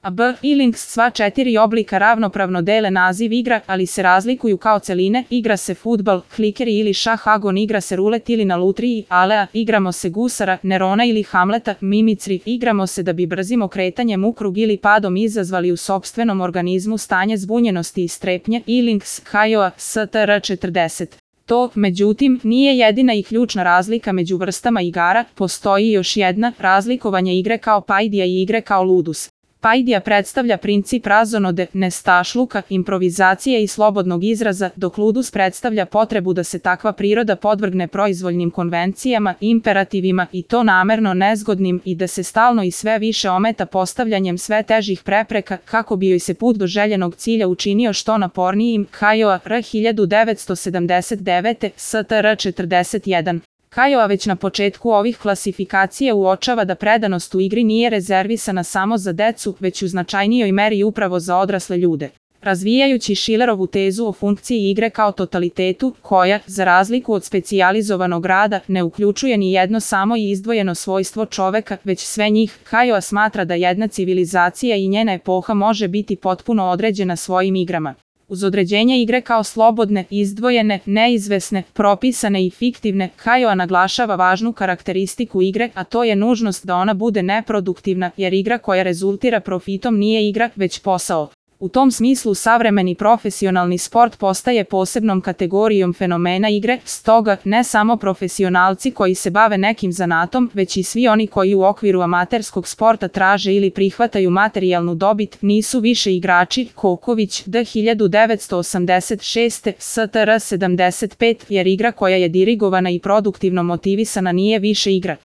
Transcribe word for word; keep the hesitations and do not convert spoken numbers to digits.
A B i links sva četiri oblika ravnopravno dele naziv igra, ali se razlikuju kao celine. Igra se fudbal, klikeri ili šah, agon, igra se rulet ili na lutriji, alea, igramo se gusara, Nerona ili Hamleta, mimicri, igramo se da bi brzim okretanjem u krug ili padom izazvali u sopstvenom organizmu stanje zbunjenosti i strepnje. I links hajoa str četrdeset. To, međutim, nije jedina i ključna razlika među vrstama igara, postoji još jedna, razlikovanje igre kao pajdija i igre kao ludus. Pajdija predstavlja princip razonode, nestašluka, improvizacije i slobodnog izraza, dok ludus predstavlja potrebu da se takva priroda podvrgne proizvoljnim konvencijama, imperativima i to namerno nezgodnim i da se stalno i sve više ometa postavljanjem sve težih prepreka kako bi joj se put do željenog cilja učinio što napornijim. Hajoa R hiljadu devetsto sedamdeset devete str četrdeset jedan. Hajoa već na početku ovih klasifikacija uočava da predanost u igri nije rezervisana samo za decu, već u značajnijoj meri upravo za odrasle ljude. Razvijajući Schillerovu tezu o funkciji igre kao totalitetu, koja, za razliku od specijalizovanog rada, ne uključuje ni jedno samo i izdvojeno svojstvo čoveka, već sve njih, Hajoa smatra da jedna civilizacija i njena epoha može biti potpuno određena svojim igrama. Uz određenje igre kao slobodne, izdvojene, neizvesne, propisane i fiktivne, Hajoa naglašava važnu karakteristiku igre, a to je nužnost da ona bude neproduktivna, jer igra koja rezultira profitom nije igra, već posao. U tom smislu savremeni profesionalni sport postaje posebnom kategorijom fenomena igre, stoga ne samo profesionalci koji se bave nekim zanatom, već i svi oni koji u okviru amaterskog sporta traže ili prihvataju materijalnu dobit, nisu više igrači. Koković, D hiljadu devetsto osamdeset šeste str sedamdeset pet, jer igra koja je dirigovana i produktivno motivisana nije više igra.